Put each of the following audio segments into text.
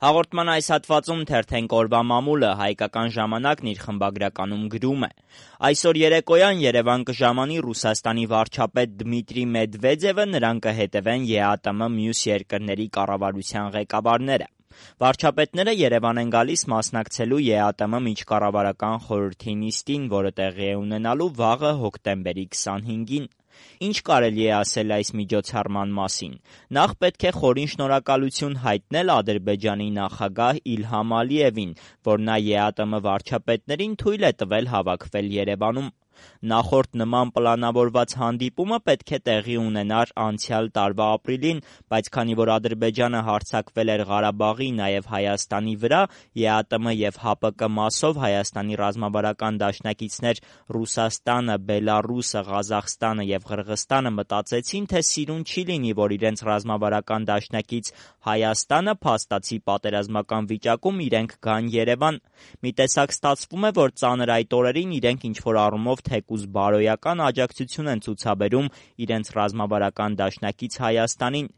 Հաղորդման այս հատվածում թերթենք օրվա մամուլը, Հայկական ժամանակն իր խմբագրականում գրում է. Այսօր երեկոյան Երևան կժամանի Ռուսաստանի վարչապետ Դմիտրի Մեդվեդևը, նրան կհետևեն ԵԱՏՄ մյուս երկրների կառավարության ղեկավարները։ Վարչապետները Երևան են գալիս մասնակցելու ԵԱՏՄ միջկառավարական խորհրդի նիստին, որը տեղի է ունենալու վաղը հոկտեմբերի 25-ին։ Ինչ կարելի է ասել այս միջոցառման մասին։ Նախ պետք է խորին շնորհակալություն հայտնել Ադրբեջանի նախագահ Իլհամ Ալիևին, որ նա ԵԱՏՄ վարչապետներին թույլ է տվել հավաքվել Երևանում։ Նախորդ նման պլանավորված հանդիպումը պետք է տեղի ունենար անցյալ տարվա ապրիլին, բայց քանի որ Ադրբեջանը հարձակվել էր Ղարաբաղի, նաև Հայաստանի վրա, ԵԱՏՄ և ՀԱՊԿ մասով Հայաստանի ռազմավարական դաշնակիցներ Ռուսաստանը, Բելառուսը, Ղազախստանը և Ղրղըզստանը մտածեցին, թե սիրուն չի լինի, որ իրենց ռազմավարական դաշնակից Հայաստանը փաստացի պատերազմական վիճակում իրենք գան Երևան։ Մի տեսակ ստացվում է, որ ծանր այդ օրերին իրենք ինչ-որ առումով թեկուզ բարոյական աջակցություն են ցուցաբերում իրենց ռազմավարական դաշնակից Հայաստանին,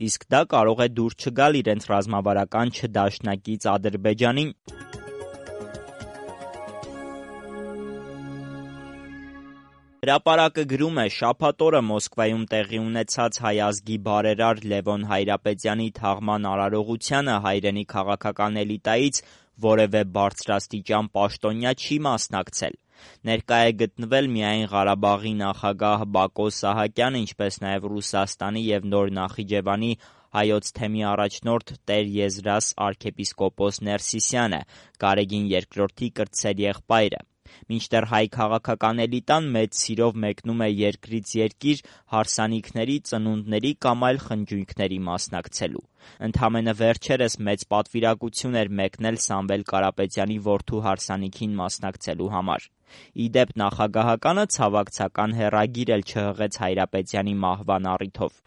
իսկ դա կարող է դուր չգալ իրենց ռազմավարական չդաշնակից Ադրբեջանին։ Հրապարակը գրում է. շաբաթ օրը Մոսկվայում տեղի ունեցած հայ ազգի բարերար Լևոն Հայրապետյանի թաղման արարողությանը հայրենի քաղաքական էլիտայից որևէ բարձրաստիճան պաշտոնյա չի մասնակցել։ Ներկա է գտնվել միայն Ղարաբաղի նախագահ Բակո Սահակյանը, ինչպես նաև Ռուսաստանի և Նոր Նախիջևանի հայոց թեմի առաջնորդ Տեր Եզրաս arքեպիսկոպոս Ներսիսյանը, Գարեգին II-ի կրտսեր եղբայրը։ Մինչդեռ հայ քաղաքական էլիտան մեծ սիրով մեկնում է երկրից երկիր հարսանիքների, ծնունդների կամ այլ խնջույքների մասնակցելու։ Ընդամենը վերջերս մեծ պատվիրակություն էր մեկնել Սամվել Կարապետյանի որդու հարսանիքին մասնակցելու համար։ Ի դեպ, նախագահականը ցավակցական հեռագիր էլ չհղեց Հայրապետյանի մահվան առիթով։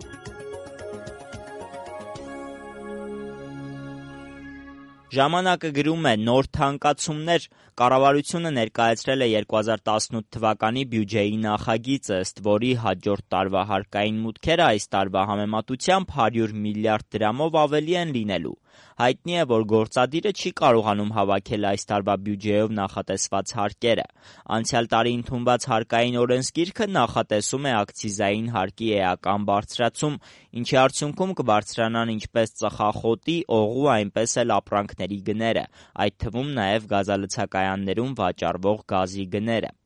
Ժամանակը գրում է. նոր թանկացումներ։ Կառավարությունը ներկայացրել է 2018 թվականի բյուջեի նախագիծը, ըստ որի հաջորդ տարվա հարկային մուտքերը այս տարվա համեմատությամբ 100 միլիարդ դրամով ավելի են լինելու։ Հայտնի է, որ գործադիրը չի կարողանում հավաքել այս տարվա բյուջեով նախատեսված հարկերը։ Անցյալ տարի ընդունված հարկային օրենսգիրքը նախատեսում է ակցիզային հարկի էական բարձրացում, ինչի արդյունքում կբարձրանան ինչպես ծխախոտի, օղու, այնպես էլ ապրանքների գները, այդ թվում նաև գազալցակայաններում վաճառվող գազի գները։